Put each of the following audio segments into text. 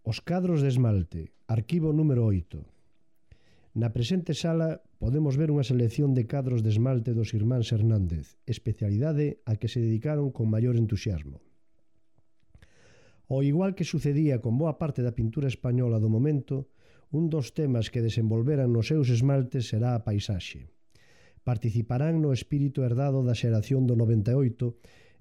Os cadros de esmalte, arquivo número 8. Na presente sala podemos ver unha selección de cadros de esmalte dos irmáns Hernández, especialidade a que se dedicaron con maior entusiasmo. Ao igual que sucedía con boa parte da pintura española do momento, un dos temas que desenvolveran nos seus esmaltes será a paisaxe. Participarán no espírito herdado da xeración do 98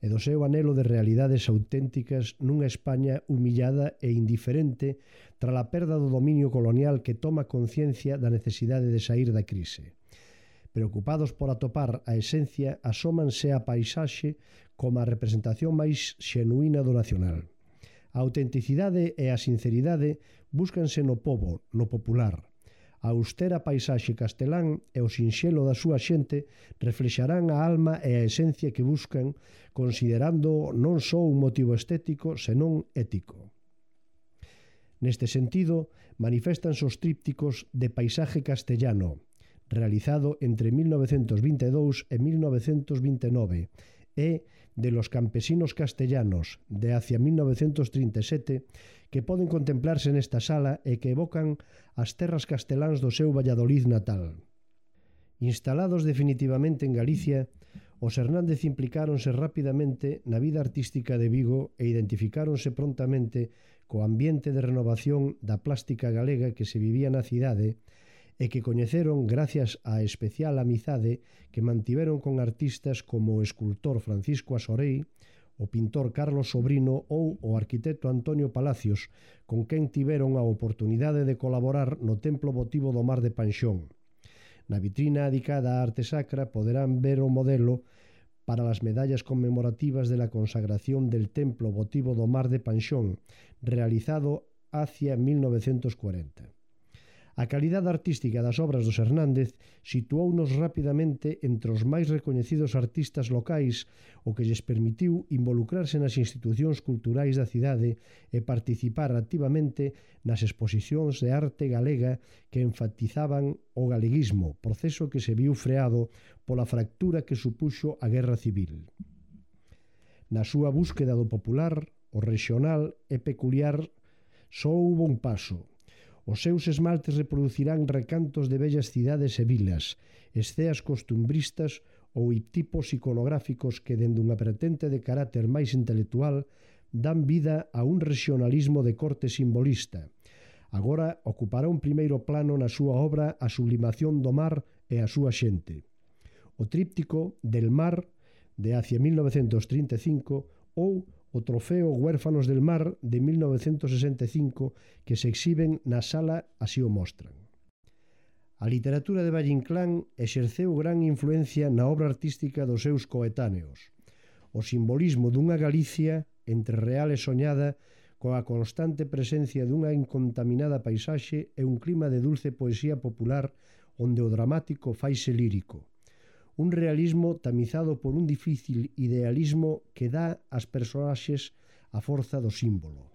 e do seu anhelo de realidades auténticas nunha España humillada e indiferente tras a perda do dominio colonial que toma conciencia da necesidade de sair da crise. Preocupados por atopar a esencia, asómanse a paisaxe como a representación máis xenuína do nacional. A autenticidade e a sinceridade búscanse no pobo, no popular. A austera paisaxe castelán e o sinxelo da súa xente reflexarán a alma e a esencia que buscan, considerando non só un motivo estético, senón ético. Neste sentido, maniféstanse os trípticos de Paisaje castellano, realizado entre 1922 e 1929, e de Los campesinos castellanos, de hacia 1937, que poden contemplarse nesta sala e que evocan as terras casteláns do seu Valladolid natal. Instalados definitivamente en Galicia, os Hernández implicáronse rapidamente na vida artística de Vigo e identificáronse prontamente co ambiente de renovación da plástica galega que se vivía na cidade e que coñeceron gracias á especial amizade que mantiveron con artistas como o escultor Francisco Asorei, o pintor Carlos Sobrino ou o arquitecto Antonio Palacios, con quen tiveron a oportunidade de colaborar no Templo Votivo do Mar de Panxón. Na vitrina dedicada á arte sacra poderán ver o modelo para as medallas conmemorativas de la consagración del Templo Votivo do Mar de Panxón, realizado hacia 1940. A calidade artística das obras dos Hernández situounos rapidamente entre os máis recoñecidos artistas locais, o que lles permitiu involucrarse nas institucións culturais da cidade e participar activamente nas exposicións de arte galega que enfatizaban o galeguismo, proceso que se viu freado pola fractura que supuxo a Guerra Civil. Na súa búsqueda do popular, o regional e peculiar só houbo un paso. Os seus esmaltes reproducirán recantos de bellas cidades e vilas, esceas costumbristas ou tipos iconográficos que, dende unha vertente de carácter máis intelectual, dan vida a un regionalismo de corte simbolista. Agora ocupará un primeiro plano na súa obra a sublimación do mar e a súa xente. O tríptico Del Mar, de hacia 1935, ou o trofeo Huérfanos del Mar de 1965 que se exhiben na sala así o mostran. A literatura de Valle Inclán exerceu gran influencia na obra artística dos seus coetáneos. O simbolismo dunha Galicia entre real e soñada coa constante presencia dunha incontaminada paisaxe e un clima de dulce poesía popular onde o dramático faise lírico. Un realismo tamizado por un difícil idealismo que dá ás personaxes a forza do símbolo.